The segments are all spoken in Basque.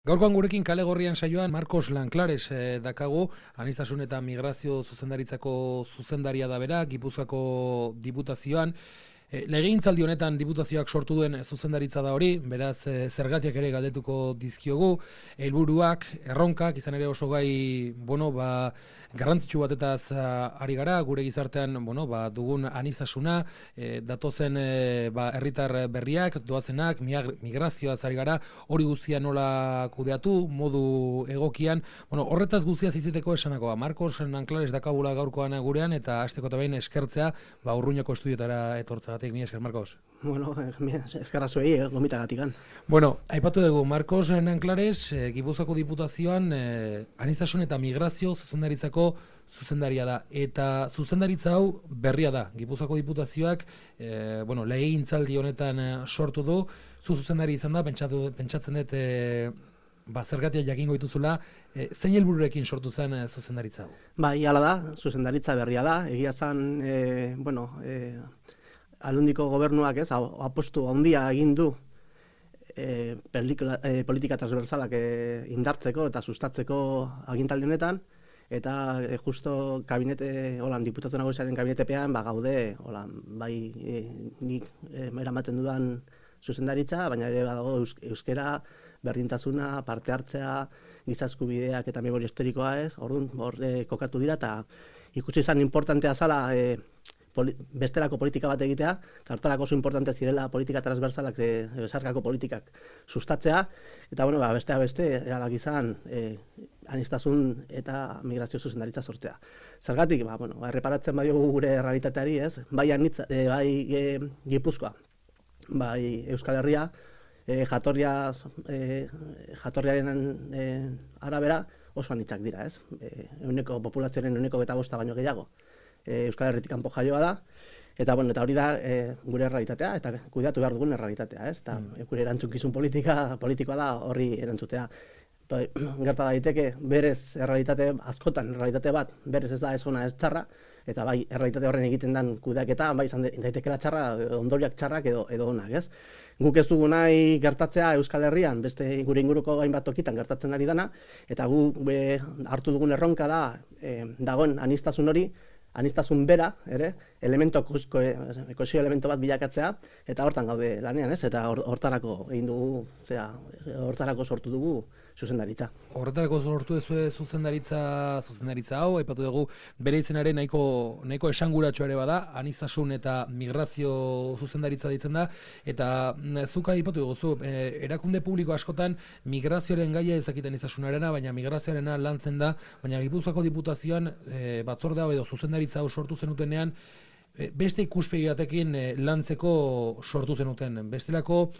Gaurkoan gurekin kale gorrian saioan Marcos Lanklares dakagu, aniztasun eta migrazio zuzendaritzako zuzendaria da bera, Gipuzkoako diputazioan. Legegintzaldi honetan diputazioak sortu duen zuzendaritza da hori, beraz zergatiak ere galdetuko dizkiogu, helburuak, erronkak, izan ere oso gai, garrantzitsu batetaz ari gara, gure gizartean, dugun aniztasuna, datozen herritar berriak, doazenak, migrazioaz ari gara, hori guztia nola kudeatu, modu egokian, horretaz guztia ziziteko esanakoa. Marcos Lanklares dakabula gaurkoan gurean, eta hasteko eta behin eskertzea, Urruñako estudiotara etortza. Mi esker, Marcos. Eskerra zuei, gomitagatikan. Aipatu dugu, Marcos Lanklares, Gipuzkoako diputazioan, aniztasun eta migrazio zuzendaritzako zuzendaria da. Eta zuzendaritza hau berria da. Gipuzkoako diputazioak, legegintzaldi honetan sortu du, zuzendari izan da, pentsatzen dut, zergatia jakingo dituzula, zein helbururekin sortu zen zuzendaritza hau? Bai, hala da, zuzendaritza berria da. Egia zen, Aldundiko gobernuak apostu handia egin du politika transversalak indartzeko eta sustatzeko agintaldi honetan, eta justo diputatu nagusiaren kabinetepean gaude, nik eramaten dudan zuzendaritza, baina ere badago euskera, berdintasuna, parte hartzea, giza eskubideak eta memoria historikoa orduan hor kokatu dira, eta ikusi izan importantea zala bestelako politika bat egitea, eta hortarako oso importante zirela politika transversalak, besarkako politikak sustatzea, eta besteak beste, erabaki izan aniztasun eta migrazio zuzendaritza sortzea. Zergatik, erreparatzen badiogu gure errealitateari, bai Gipuzkoa, bai Euskal Herria, jatorriaren arabera oso anitzak dira, populazioaren 1,5% baino gehiago. Euskal Herritik kanpo jaioa da, eta hori da gure errealitatea, eta kudeatu behar dugun errealitatea, eta gure erantzunkizun politikoa da horri erantzutea. Gerta daiteke, berez askotan errealitate bat, berez ez da ez ona ez txarra, eta bai errealitate horren egiten den kudeaketa, bai izan daitekela txarra, ondoriak txarrak edo onak, ez? Guk ez dugu nahi gertatzea Euskal Herrian, beste gure inguruko hainbat tokitan gertatzen ari dana, eta gu hartu dugun erronka da, dagoen aniztasun hori, aniztasun bera, kohesio elemento bat bilakatzea, eta hortan gaude lanean, eta hortarako egin dugu, hortarako sortu dugu zuzendaritza. Horretarako sortu duzu zuzendaritza hau, aipatu dugu bere izenaren nahiko esanguratxo ere bada, aniztasun eta migrazio zuzendaritza ditzen da, eta zuk aipatu dugu, erakunde publiko askotan migrazioaren gaia ezakiten aniztasunarena, baina migrazioarena lantzen da, baina Gipuzkoako diputazioan batzorde hau edo zuzendaritza hau sortu zenutenean, beste ikuspegi batekin lantzeko sortu zenuten. Bestelako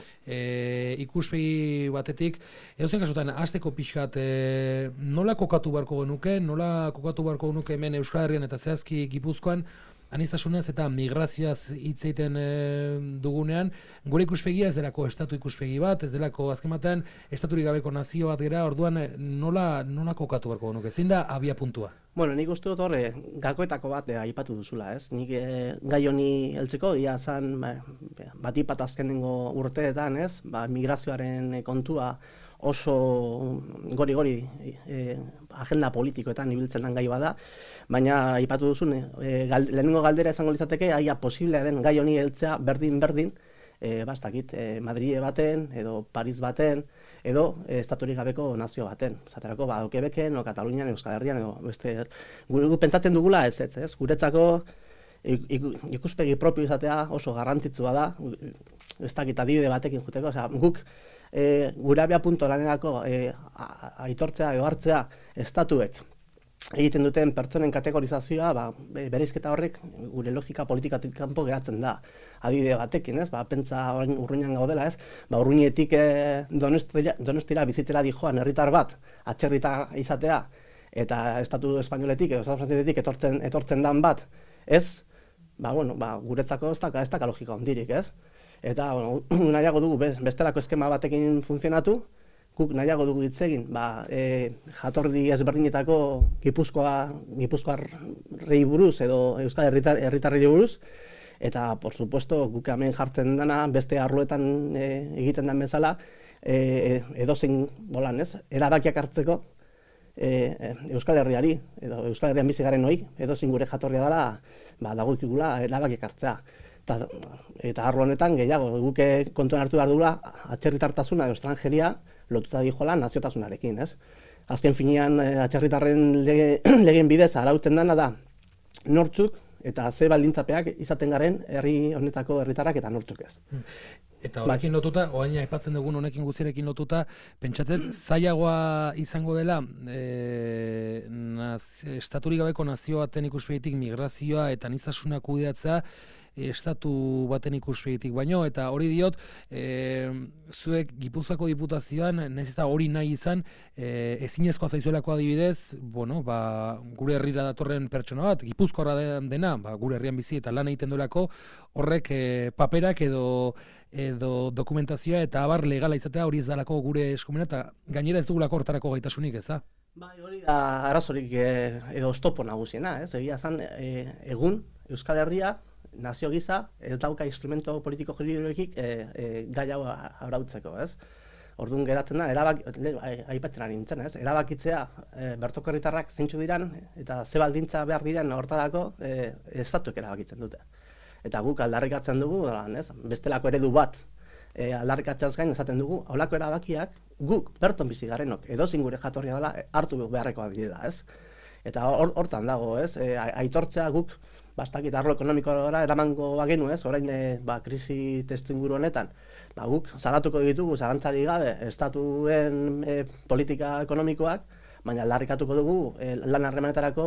ikuspegi batetik, edozen kasutan, hasteko pixkat, nola kokatu beharko genuke hemen Euskal Herrian eta zehazki Gipuzkoan, aniztasunaz eta migrazioaz hitz egiten dugunean, gure ikuspegia ez delako estatu ikuspegi bat, ez delako azken batean estaturik gabeko nazio bat gera, orduan nola kokatu beharko genuke, zein da abia puntua? Nik uste dut horre, gakoetako bat aipatu duzula, ez? Nik gai honi heltzeko, ia zan batipat azkenengo urteetan, ez? Migrazioaren kontua oso gori agenda politikoetan ibiltzen den gai bada, baina aipatu duzun, lehenengo galdera izango litzateke, aia posiblea den gai honi heltzea berdin, Madrile baten, edo Paris baten, edo estaturik gabeko nazio baten. Zaterako, Quebecen, Katalunian, Euskal Herrian, edo beste... Gu pentsatzen dugula ez. Guretzako ikuspegi propio izatea oso garrantzitsua da, ez dakit adibide batekin juteko, guk gure abia punto lanerako aitortzea edo hartzea estatuek egiten duten pertsonen kategorizazioa, bereizketa horrek gure logika politikatik kanpo geratzen da. Adibide batekin, pentsa Urruñan gaudela, Urruñetik Donostira bizitzera dijoan herritar bat, atzerritar izatea, eta estatu espainoletik edo estatu frantzisetik etortzen dan bat, guretzako ez da logika hondirik, Eta nahiago dugu bestelako eskema batekin funtzionatu, guk nahiago dugu hitz egin, jatorri ezberdinetako Gipuzkoarrei buruz edo Euskal Herritarrei buruz, eta, por supuesto, guk hemen jartzen dena beste arloetan egiten den bezala, edozein bolan, ez? Erabakiak hartzeko Euskal Herriari, edo Euskal Herrian bizi garen hoi, edozein gure jatorria dela, dagokigula erabakiak hartzea. Eta arlo honetan gehiago, guk kontuan hartu behar dugula, atzerritartasuna edo estrangeria lotuta dijola naziotasunarekin, ez? Azken finean, atzerritarren legeen bidez arautzen dena da, nortzuk eta ze baldintzapeak izaten garen herri honetako herritarrak eta nortzuk ez. Eta horrekin lotuta, orain aipatzen dugun honekin guztiarekin lotuta, pentsatzen zailagoa izango dela estaturik gabeko nazio baten ikuspegitik migrazioa eta aniztasuna kudeatzea estatu baten ikuspegitik baino, eta hori diot, zuek Gipuzkoako diputazioan, nahiz eta hori nahi izan, ezinezkoa zaizuelako adibidez, gure herrira datorren pertsona bat, Gipuzkoarra dena, gure herrian bizi eta lan egiten duelako, horrek paperak edo dokumentazioa eta abar legala izatea hori ez dalako gure eskumena, eta gainera ez dugulako hortarako gaitasunik, eza? Hori da arazorik edo oztopo nagusiena, ez? Egia zan, egun Euskal Herria nazio gisa ez dauka instrumento politiko juridikoekik gai hau arautzeko, ez? Orduan geratzen da, aipatzen ari nintzen, ez? Erabakitzea bertoko herritarrak zeintzu diran eta ze baldintza behar diren hortarako estatuek erabakitzen dute. Eta guk aldarrikatzen dugu, ez? Bestelako eredu bat aldarrikatzeaz gain esaten dugu, holako erabakiak guk berton bizi garenok edozein gure jatorria dela hartu beharrekoak direla, ez? Eta hortan dago, ez? Aitortzea guk bastakit arlo ekonomikora eramango bagenu, ez? Orain krisi testuinguru honetan, guk zalatuko ditugu zalantzarik gabe estatuen politika ekonomikoak, baina aldarrikatuko dugu lan harremanetarako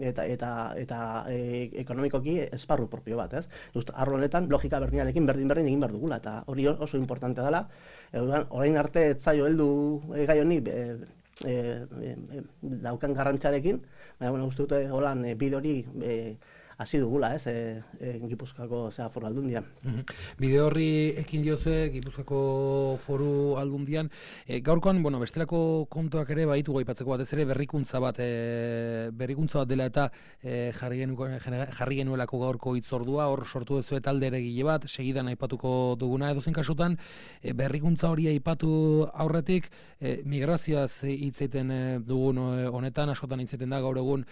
eta ekonomikoki esparru propio bat, ez? Just arlo honetan logika berdinarekin berdin egin behar dugula, eta hori oso importante dela. Orain arte ez zaio heldu gai honi daukan garrantziarekin, baina uste dute holan bide hori hasi dugula, ez, Gipuzkoako foru aldundian. Bide horri ekin diozue Gipuzkoako foru aldundian. Gaurkoan, bestelako kontuak ere baitu aipatzeko batez ere berrikuntza bat dela eta jarri genuelako gaurko hitzordua, hor sortu duzue talde eregile bat, segidan aipatuko duguna edozein kasutan, berrikuntza hori aipatu aurretik, migrazioaz hitz egiten dugun honetan, askotan hitz egiten da gaur egun,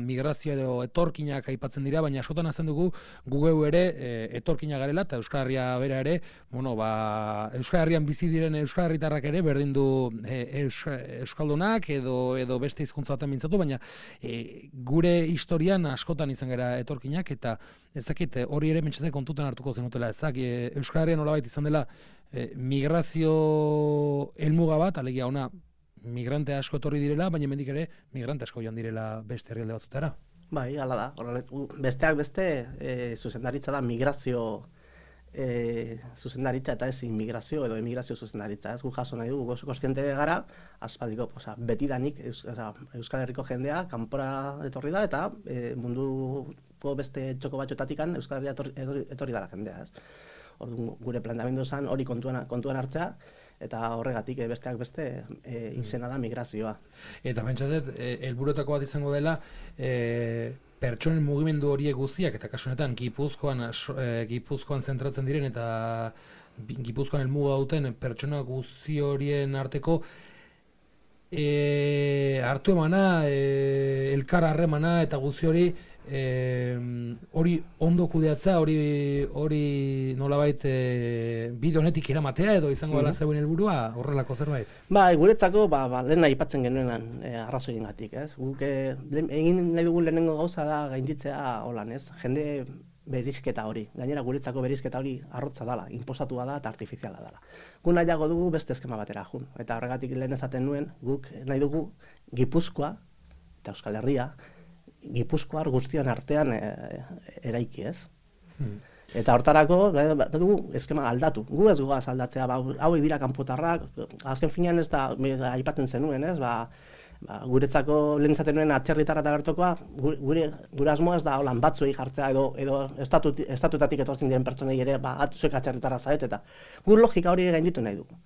migrazio edo etorkin aipatzen dira, baina askotan hazen dugu gugeu ere etorkina garela eta Euskal Herria bera ere, Euskal Herrian bizi diren Euskal Herritarrak ere berdin du Euskaldunak edo beste hizkuntza baten mintzatu, baina gure historian askotan izan gara etorkinak eta ezakit hori ere mentxatek kontutan hartuko zenutela, Euskal Herrian nolabait izan dela migrazio helmuga bat, alegia ona migrante asko etorri direla, baina hemendik ere migrante asko joan direla beste herrialde batzutara. Bai, hala da. Besteak beste, zuzendaritza da migrazio zuzendaritza eta ez inmigrazio edo emigrazio zuzendaritza. Ez gu jaso nahi dugu, kontziente gara, aspaldiko, betidanik Euskal Herriko jendea kanpora etorri da eta munduko beste txoko batxotatikan Euskal Herria etorri dara jendea. Orduan, gure planteamendu zen hori kontuan hartzea, eta horregatik besteak beste izena da migrazioa. Eta pentsatzen, helburuetako bat izango dela, pertsonen mugimendu horiek guztiak, eta kasu honetan Gipuzkoan zentratzen diren eta Gipuzkoan helmuga duten pertsona guzti horien arteko hartu emana, elkar harremana eta guzti hori ondo kudeatza, hori nolabait bide honetik eramatea edo izango dela zeuen helburua horrelako zerbait? Guretzako lehen aipatzen genuen arrazoiengatik, ez? Guk egin nahi dugun lehenengo gauza da gainditzea holan, ez? Jende berizketa hori. Gainera guretzako berizketa hori arrotza dela, inposatua da eta artifiziala dela. Gu nahiago dugu beste eskema batera jun. Eta horregatik lehen esaten nuen, guk nahi dugu Gipuzkoa eta Euskal Herria Gipuzkoar guztion artean eraiki, ez? Eta hortarako dugu eskema aldatu. Gu ez goaz aldatzea, hauek dira kanpotarrak, azken finean ez da aipatzen zenuen, ez? Guretzako lehen zaten nuen atzerritarra eta bertokoa, gure asmoa ez da holan batzuei jartzea edo estatutatik etortzen diren pertsonei ere zuek atzerritarra zaret eta gu logika hori gainditu nahi dugu.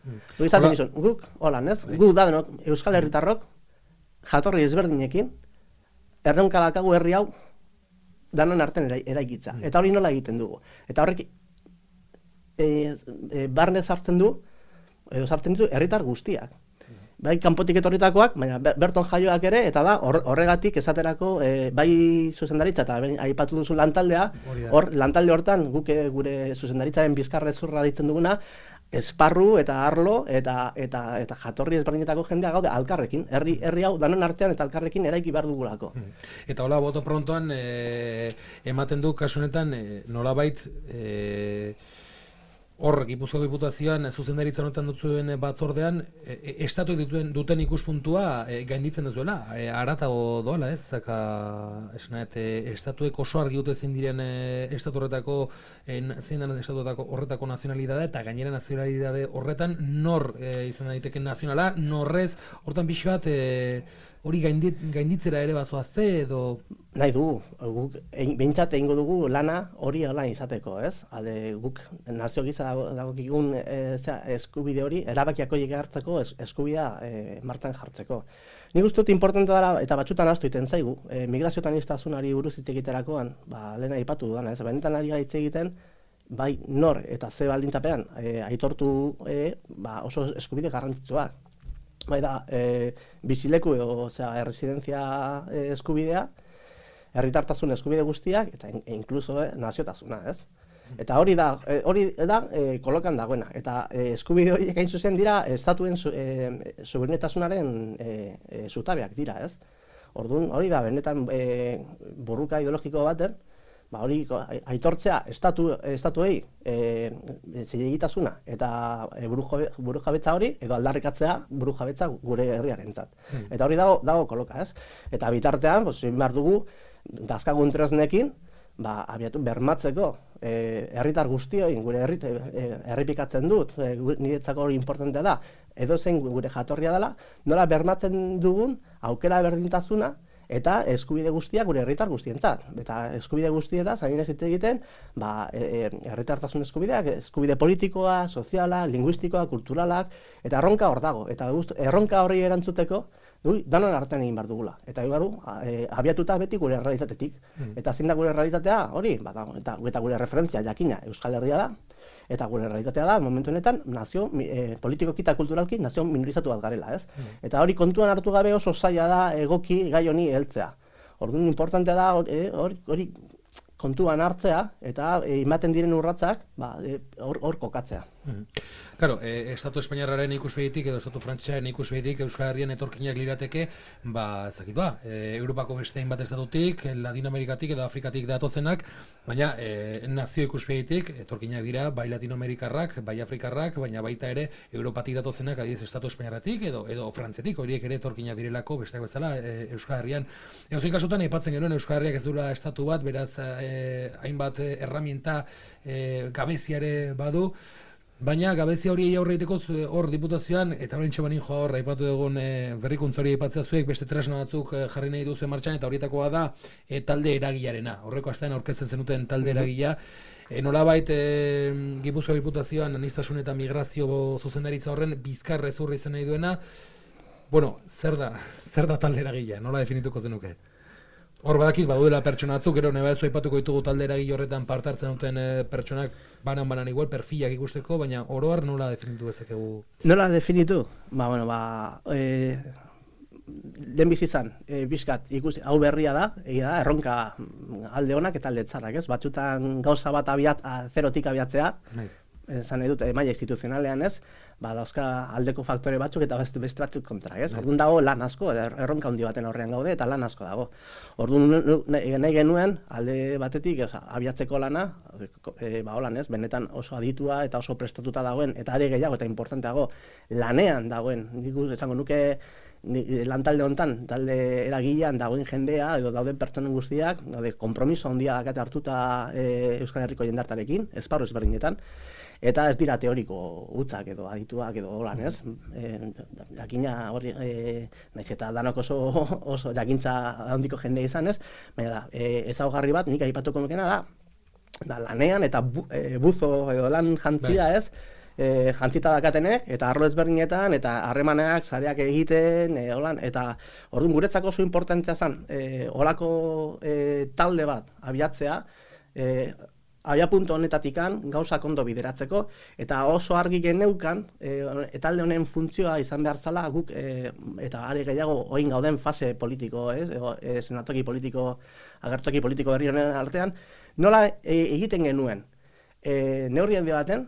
Guk holan, ez? Gu da denok Euskal Herritarrok jatorri ezberdinekin erronka dakagu herri hau danon artean eraikitza. Eta hori nola egiten dugu. Eta horrek barne sartzen du edo sartzen ditu herritar guztiak. Bai, kanpotik etorritakoak, baina berton jaioak ere, eta da, horregatik esaterako, bai zuzendaritza eta aipatu duzu lantaldea, lantalde hortan guk gure zuzendaritzaren bizkarrezurra ditzen duguna, esparru eta arlo eta jatorri ezberdinetako jendea gaude alkarrekin, herri hau danon artean eta alkarrekin eraiki behar dugulako. Eta hola, boto prontoan ematen du kasu honetan nolabait hor Gipuzkoako Diputazioan zuzendaritza honetan duzuen batzordean estatuek duten ikuspuntua gainditzen duzuela, haratago doala, ez? Zaka, estatuek oso argi dute zein diren estatu horretako horretako nazionalidadea eta gainera nazionalidade horretan nor izan daiteke nazionala, norrez hortan pixi bat hori gainditzera ere bazoazte edo... Nahi dugu, guk behintzat egingo dugu lana hori lan izateko, ez? Guk nazio giza dagokigun eskubide hori, erabakiak horiek hartzeko eskubidea martxan jartzeko. Nik uste dut importantea dela, eta batzutan ahaztu egiten zaigu, migrazioetan aniztasunari buruz hitz egiterakoan, lehen aipatu dudana, ez? Benetan ari hitz egiten, bai nor eta ze baldintzapean aitortu oso eskubide garrantzitsuak. Bai da, bizileku edo erresidentzia eskubidea, herritartasun eskubide guztiak, eta inkluso naziotasuna, ez? Eta hori da kolokan dagoena. Eta eskubide horiek hain zuzen dira, estatuen suberenitasunaren zutabeak dira, ez? Orduan, hori da, benetan borruka ideologiko baten, hori aitortzea estatuei zilegitasuna eta burujabetza hori, edo aldarrikatzea burujabetza gure herriarentzat. Eta hori dago koloka, ez? Eta bitartean, behar dugu, dazkagun tresnekin, abiatu bermatzeko herritar guztioi, gure errepikatzen dut, niretzako hori importantea da, edo zen gure jatorria dela, nola bermatzen dugun aukera berdintasuna, eta eskubide guztiak gure herritar guztientzat. Eta eskubide guztietaz, hain ez egiten, herritartasun eskubideak, eskubide politikoa, soziala, linguistikoa, kulturalak, eta erronka hor dago. Eta erronka horri erantzuteko, danon artean egin behar dugula. Eta abiatuta beti gure errealitatetik. Eta zein da gure errealitatea hori, eta gure referentzia jakina Euskal Herria da, eta gure realitatea da, momentu honetan, nazio, politikoki eta kulturalki, nazio minorizatu bat garela, ez? Eta hori kontuan hartu gabe oso zaila da egoki gai honi heltzea. Orduan, importantea da hori kontuan hartzea, eta ematen diren urratsak, hor kokatzea. Claro, Estatu Espainiarraren ikuspegitik edo Estatu Frantsesaren ikuspegitik Euskal Herrian etorkinak lirateke, Europako beste hainbat estatutik, Latinoamerikatik edo Afrikatik datozenak, baina nazio ikuspegitik etorkinak dira bai Latinoamerikarrak, bai Afrikarrak, baina baita ere Europatik datozenak, adibidez Estatu Espainiarratik edo Frantziatik, horiek ere etorkinak direlako besteak bezala Euskal Herrian. Edozein kasutan aipatzen genuen Euskal Herriak ez duela estatu bat, beraz hainbat erraminta gabeziare badu. Baina gabezia hori aurre egiteko hor Diputazioan, eta horrentxe banin joa hor, aipatu dugun berrikuntza hori aipatzea zuek, beste tresna batzuk jarri nahi duzu martxan, eta horietakoa da talde eragilearena. Horreko astean aurkezten zenuten talde eragilea. Nolabait Gipuzkoako Diputazioan aniztasun eta migrazio zuzendaritza horren bizkarrezurra izan nahi duena. Bueno, zer da talde eragilea? Nola definituko zenuke? Hor badakit, baduela pertsona batzuk, gero nebadezu aipatuko ditugu talde eragile horretan parte hartzen duten pertsonak banan igual perfilak ikusteko, baina oro har nola definitu ezakegu? Nola definitu? Lehenbizi izan, bizkat, hau berria da, erronka alde honak eta alde txarrak, ez? Batzutan gauza bat zerotik abiatzea, esan nahi dut, maila instituzionalean, ez? Dauzka aldeko faktore batzuk eta beste batzuk kontra, ez? Orduan dago lan asko, erronka handi baten aurrean gaude eta lan asko dago. Orduan nahi genuen, alde batetik, abiatzeko lana, holan, ez? Benetan oso aditua eta oso prestatuta dagoen, eta are gehiago eta importanteago, lanean dagoen, nik esango nuke, lantalde honetan, talde eragilean dagoen jendea, edo dauden pertsonen guztiak, konpromiso handia dakate hartuta Euskal Herriko jendartarekin, esparru ezberdinetan, eta ez dira teoriko hutzak edo adituak edo holan, ez? Jakina hori, naiz eta danok oso jakintza handiko jende izan, ez? Baina da, ezaugarri bat, nik aipatuko nukena da lanean eta buzo edo lan jantzia, ez? Jantzita dakatenek, eta arlo ezberdinetan, eta harremanak, sareak egiten, eta orduan guretzako oso importantea zen, holako talde bat abiatzea, abiapuntu honetatikan gauzak ondo bideratzeko, eta oso argi geneukan, talde honen funtzioa izan behar zala guk, eta are gehiago oin gauden fase politiko, senatoki politiko, agertoki politiko berri honen artean, nola egiten genuen, neurri handi baten,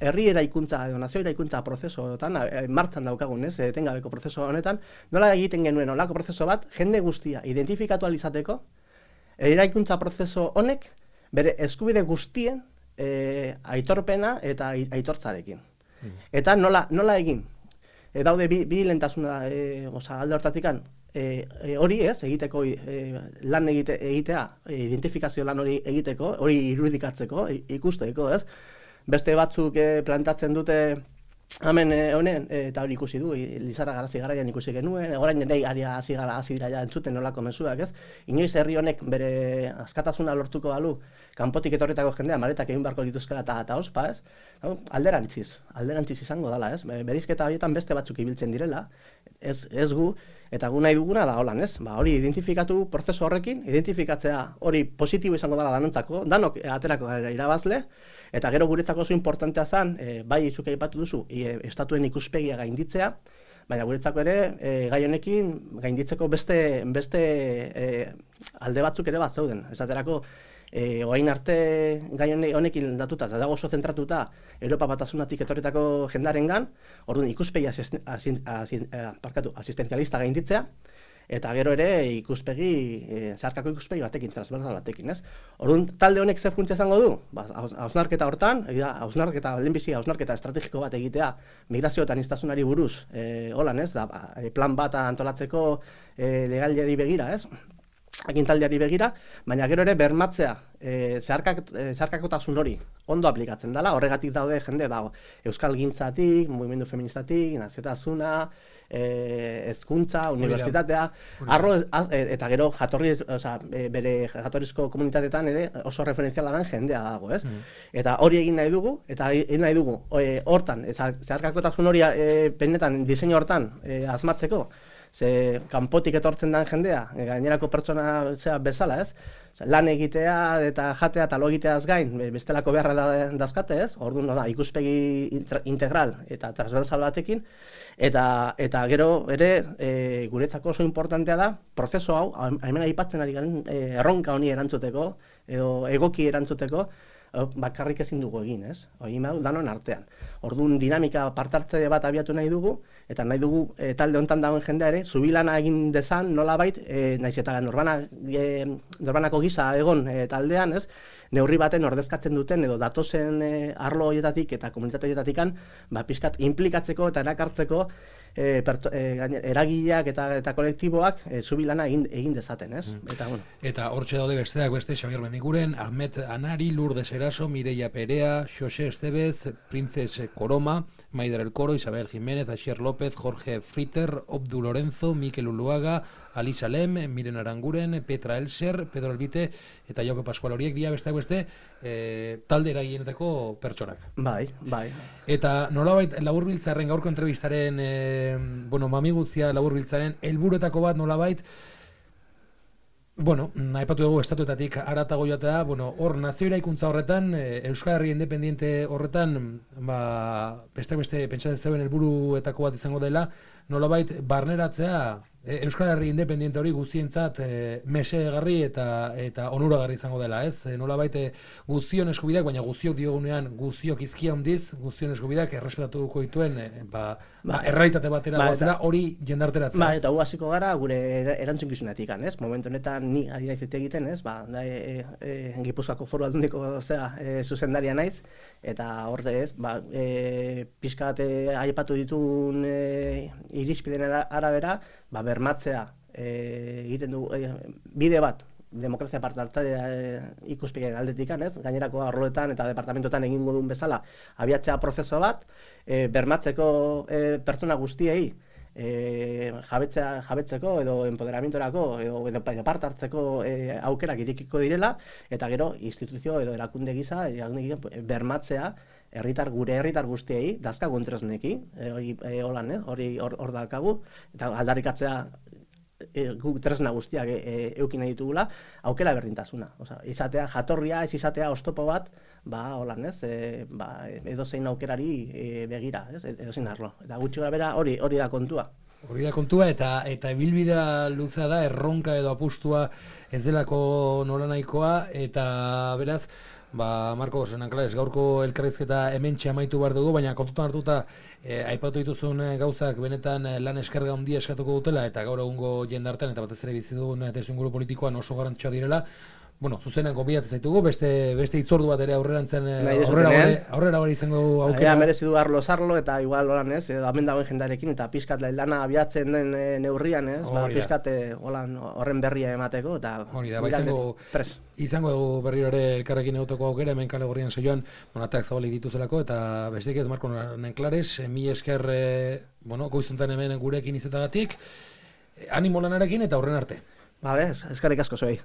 herri eraikuntza edo nazio eraikuntza prozesuetan martxan daukagun, etengabeko prozesu honetan, nola egiten genuen olako prozesu bat, jende guztia identifikatu ahal izateko, eraikuntza prozesu honek bere eskubide guztien aitorpena eta aitortzarekin. Eta nola egin? Daude bi lehentasuna alde hortatikan, hori egiteko lan egitea, identifikazio lan hori egiteko, hori irudikatzeko, ikusteko, beste batzuk plantatzen dute hemen honen, eta hori ikusi du, Lizarra Garazi garaian ikusi genuen, orain ere hasi dira ja entzuten nolako mezuak, inoiz herri honek bere askatasuna lortuko balu, kanpotik etorritako jendea maletak egin beharko dituzkela eta ospa, alderantziz izango dela, berizketa horietan beste batzuk ibiltzen direla, ez gu, eta gu nahi duguna da holan, hori identifikatu prozesu horrekin, identifikatzea hori positibo izango dela danontzako, danok aterako gara irabazle, eta gero guretzako oso importantea zen, bai zuke aipatu duzu, estatuen ikuspegia gainditzea, baina guretzako ere gai honekin gainditzeko beste alde batzuk ere bat zeuden. Esaterako, orain arte gai honekin datuta, dago oso zentratuta Europa Batasunatik etorritako jendarengan, orduan ikuspegi asistenzialista gainditzea, eta gero ere zeharkako ikuspegi batekin, transversal batekin, Orduan, talde honek ze funtzia izango du? Hausnarketa hortan, hausnarketa estrategiko bat egitea, migrazio eta aniztasunari buruz, plan bat antolatzeko legaliari begira, agintaldiari begira, baina gero ere bermatzea zeharkakotasun hori ondo aplikatzen dela, horregatik daude jende Euskal Gintzatik, mugimendu feministatik, naziotasuna, hezkuntza, unibertsitatea, eta gero bere jatorrizko komunitateetan ere oso referentziala den jendea dago, Eta hori egin nahi dugu, hortan, zeharkakotasun hori benetan diseinu hortan asmatzeko, ze kanpotik etortzen den jendea, gainerako pertsona bezala, lan egitea eta jatea eta lo egiteaz gain, bestelako beharra dauzkate, orduan ikuspegi integral eta transversal batekin, eta gero ere guretzako oso importantea da, prozesu hau, hemen aipatzen ari garen erronka honi erantzuteko, edo egoki erantzuteko, bakarrik ezin dugu egin, Hori danon artean. Orduan dinamika partartze bat abiatu nahi dugu, eta nahi dugu talde honetan dagoen jendea ere, zubilana egin dezan nolabait, naiz eta norbanako gisa egon taldean, neurri baten ordezkatzen duten edo datozen arlo horietatik eta komunitate horietatikan, pixkat implikatzeko eta erakartzeko eragileak eta kolektiboak zubilana egin dezaten, Eta hortxe daude besteak beste Xabier Mendiguren, Ahmet Anari, Lourdes Eraso, Mireia Perea, Xose Estevez, Princes Coroma, Maider El Coro, Isabel Jiménez, Asier López, Jorge Fritter, Obdu Lorenzo, Mikel Uluaga, Alisa Lem, Miren Aranguren, Petra Elser, Pedro Albite eta Jauke Pascual, horiek dira besteak beste talde eragilenetako pertsonak. Bai. Eta nolabait Laburbiltzaren gaurko entrevistaren, mami guztia Laburbiltzaren helburuetako bat nolabait, aipatu dugu estatuetatik haratago joatea, hor nazio eraikuntza horretan, Euskal Herri independiente horretan, beste pentsatzen zeuen helburuetako bat izango dela, nolabait barneratzea Euskal Herri independiente hori guztientzat mesegarri eta onuragarri izango dela, nolabait guztion eskubideak, baina guztiok diogunean guztiok izkia handiz, guztion eskubideak errespetatuko dituen errealitate batera goazera hori jendarteratzea. Eta gu hasiko gara gure erantzukizunetik, momentu honetan ni ari naiz egiten, Gipuzkoako Foru Aldundiko zuzendaria naiz, eta horre pixka bat aipatu ditun irizpideen arabera, bermatzea egiten du bide bat demokrazia partartzailea ikuspegien aldetik, gainerako arloetan eta departamentoetan egingo duen bezala abiatzea prozeso bat, bermatzeko pertsona guztiei jabetzeko edo empoderamientorako edo parte hartzeko aukerak irekiko direla, eta gero instituzio edo erakunde gisa bermatzea gure herritar guztiei dazkagun tresneki, hori hor daukagu, eta aldarrikatzea guk tresna guztiak eukin nahi ditugula, aukera berdintasuna. Osea, izatea jatorria, ez izatea oztopo bat, holan, ez? Edozein aukerari begira, ez? Edozein arlo. Eta gutxi gorabehera hori da kontua. Hori da kontua, eta ibilbidea luzea da, erronka edo apustua ez delako nolanahikoa, eta beraz, Marko, Nanclares, gaurko elkarrizketa hementxe amaitu behar dugu, baina kontutan hartuta aipatu dituzun gauzak benetan lan eskerga handia eskatuko dutela, eta gaur egungo jendartean, eta batez ere bizi dugun testuinguru politikoan oso garrantzitsua direla. Zuzenean gonbidatzen zaitugu, beste hitzordu bat ere aurrera hori izango aukera. Merezi du arlo-zarlo, eta igual holan ez, hemen dagoen jendarekin, eta pixkat lana abiatzen den neurrian, ez, pixkat horren berria emateko, eta izango dugu berriro ere elkarrekin egoteko aukera, hemen Kale Gorrian saioan, ateak zabalik dituzelako, eta besteik ez, Marko Nanclares, mi esker, goizuntan hemen gurekin izetagatik, animo lanarekin eta aurren arte. Eskerrik asko zuei.